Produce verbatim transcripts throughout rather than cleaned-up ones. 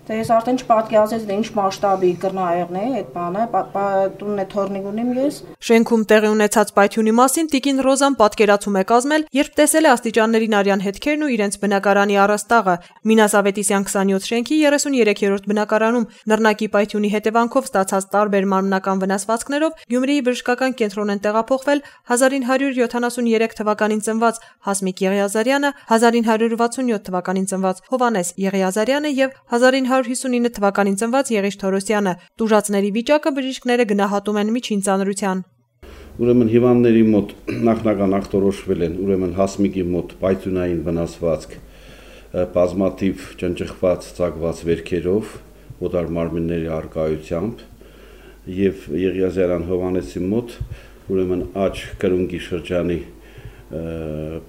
Դե ես արդեն չպատկերացրեց, դե ինչ մասշտաբի կրնայեղն է այդ բանը, տունն է թորնիկ ունիմ ես։ Շենքում տեղի ունեցած պայթյունի մասին տիկին Ռոզան պատկերացում է կազմել, երբ տեսել է աստիճաններին արյան հետքերն ու իրենց բնակարանի առաստաղը։ Մինաս Ավետիսյան քսանյոթ շենքի երեսուներեքերորդ բնակարանում նռնակի պայթյունի հետևանքով ստացած տարբեր մարմնական վնասվածքներով Գյումրիի բժշկական կենտրոն են տեղափոխվել հազար ինը հարյուր յոթանասուներեք թվականին ծնված Հասմիկ Եղիազարյանը, հազար ինը հարյուր վաթսունյոթ թվականին ծնված Հովհաննես Եղիազարյանը եւ հազար ինը հարյուր հիսունինը թվականին ծնված Եղիշ Թորոսյանը։ Տուժածների վիճակը բժիշկները գնահատում են միջին ծանրության։ Ուրեմն հիվանդների մոտ նախնական ախտորոշվել են ուրեմն Հասմիկի մոտ պայթյունային վնասվածք, բազմաթիվ ճնճղված ծակված վերքերով, օտար մարմինների առկայությամբ եւ Եղիազարյան Հովհաննեսի մոտ ուրեմն աջ կրունկի շրջանի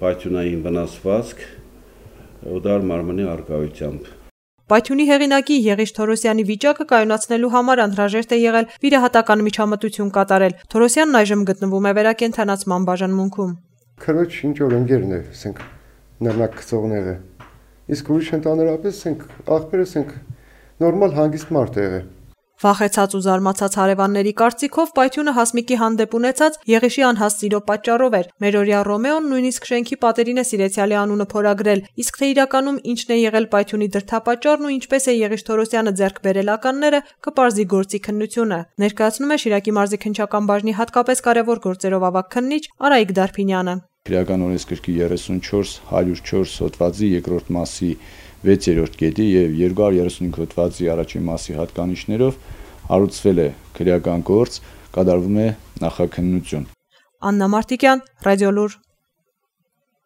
պայթյունային վնասվածք, օտար մարմնի առկայությամբ։ Պայթյունի հեղինակի Եղիշ Թորոսյանի վիճակը կայունացնելու համար անհրաժեշտ է եղել վիրահատական միջամտություն կատարել։ Թորոսյանն այժմ գտնվում է վերակենդանացման բաժանմունքում։ Քրոջ ինչ որ ընկերն է, ասենք նռնակ գծողները։ Իսկ ուրիշ ընդհանրապես ասենք աղբերը ասենք նորմալ հանգիստ մարդ է եղել։ Վախեցած ու զարմացած հարևանների կարծիքով պայթյունը Հասմիկի հանդեպ ունեցած Եղիշի անհաստ սիրո պատճառով էր։ Մերօրյա Ռոմեոն նույնիսկ շենքի պատերին է սիրեցյալի անունը փորագրել, իսկ թե իրականում ինչն է եղել պայթյունի դրդապատճառն ու ինչպես է Եղիշ Թորոսյանը ձեռք բերել ականները, կպարզի գործի քննությունը։ Ներկայացնում է Շիրակի մարզի քննչական բաժնի հատկապես կարևոր գործերով ավագ քննիչ Արայիկ Դարփինյանը։ Քրեական օրենսգրքի երեսունչորս հարյուր չորս հոդվածի երկրորդ մասի վեցերորդ կետի եւ երկու հարյուր երեսունհինգ հոդվածի առաջին մասի հատկանիշներով հարուցվել է քրեական գործ, կատարվում է նախաքննություն։ Աննա Մարտիկյան, Ռադիոլուր։